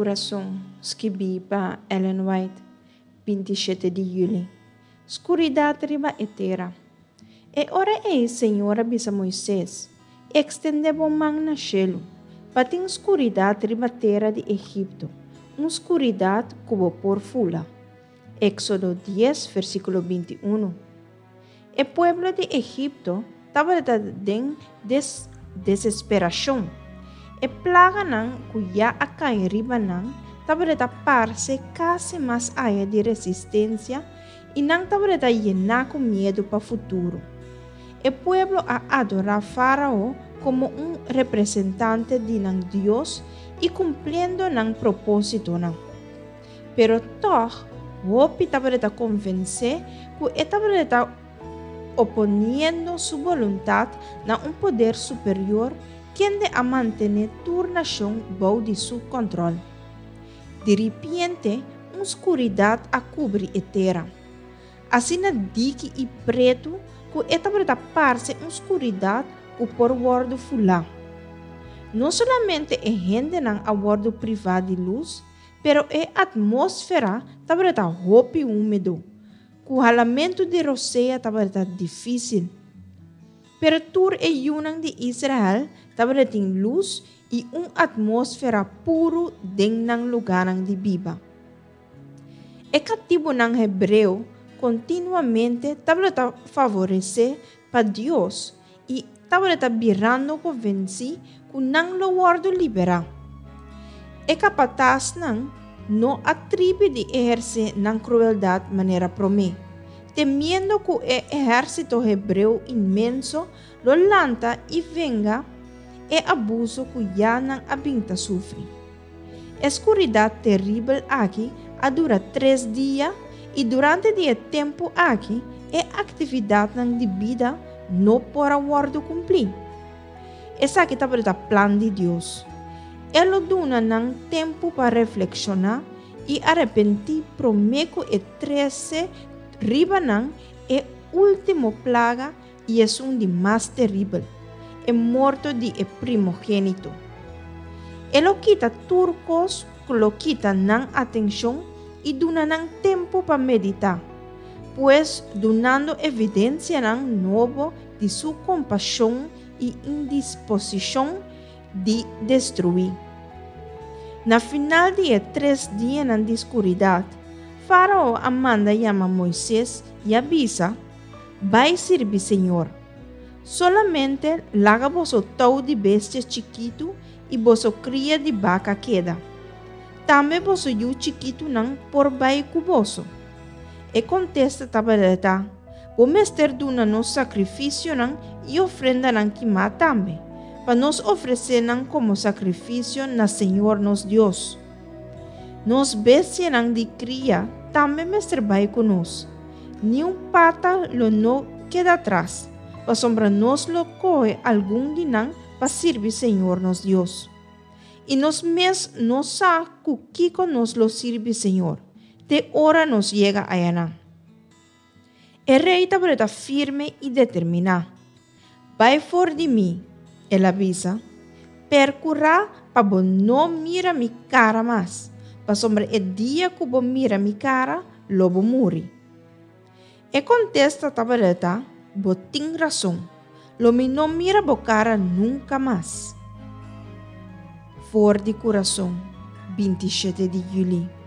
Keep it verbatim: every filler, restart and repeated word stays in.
Kurason, skibí pa Ellen White, binti shete di yüli. Skuridat riba e tera. E ora ei Señor a bisa Moises, Ekstendé bo man na shelu, pa tin skuridat riba tera di Egipto, un skuridat ku bo por fula. Éksodo dies, versíkulo binti unu. E pueblo di Egipto tabata den des desesperashon. E plaganan ku ya a kai riba nan tabata parse kasi mas aya di resistensia i nan tabata yená ku miedu pa futuro. E pueblo a adorá Fárao komo un representante di nan Dios i kumpliendo nan propósitonan. Pero tòg, hopi tabata konvensé ku e tabata oponiendo su boluntat na un poder superior kende a mantené tur nashon bou di su kòntròl. Diripiente, un skuridat a kubri e tera. Asina diki i pretu ku e tabata parse un skuridat ku por wòrdu fulá. No solamente e hendenan a wòrdu privá di lus, pero e atmósfera tabata hopi húmedo, ku halamentu di rosea tabata difísil. Pero tur e yunan di Israel tabatin lus i un atmósfera puru den nan lugánan di biba. E katibunan hebreo kontinuamente tabata favoresé pa Dios i tabata birando konvensí ku nan lo wòrdu liberá. E kapatasnan no a tribi di ehersé nan krueldat manera promé, temiendo ku e ehérsito hebreo inmenso lo lanta i venga e abuso ku ya nan a bin ta sufri. E skuridat teribel aki a dura tres dia i durante di e tempu aki e aktividatnan di bida no por a wòrdu kumplí. Esaki tabata plan di Dios. E lo duna nan tempu pa reflekshoná i arepentí promé ku e trese riba nan e último plaga i esun di mas teribel, e morto di e primogénito. E lo kita tur kos ku lo kita nan atenshon i duna nan tempu pa meditá, pues dunando evidensianan nobo di su kompashon i indisposishon di destruí. Na final di e tres dianan di skuridat, Fárao a manda yama Moises i a bisa, Bai sirbi Señor. Solamente laga boso tou di bestia chikitu i boso kria di baka keda. Tambe boso yu chikitunan por bai ku boso. E kontesta tabata, Bo mester duna nos sakrifisionan i ofrendanan kimá tambe, pa nos ofresé nan komo sakrifisio na Señor nos Dios. Nos bestianan di kria tambe mester bai ku nos. Ni un pata lo no keda atras, pasobra nos lo kohe algun di nan pa sirbi Señor nos Dios. I nos mes no sa ku kiko nos lo sirbi Señor, te ora nos yega ayanan. E rei tabata firme i determiná. Bai for di mi, el a bisa, perkurá pa bo no mira mi kara mas, pasobra e dia ku bo mira mi kara, lo bo muri. E kontesta tabata, Bo tin rason, lo mi no mira bo kara nunka mas. For di Kurason, binti shete di yüli.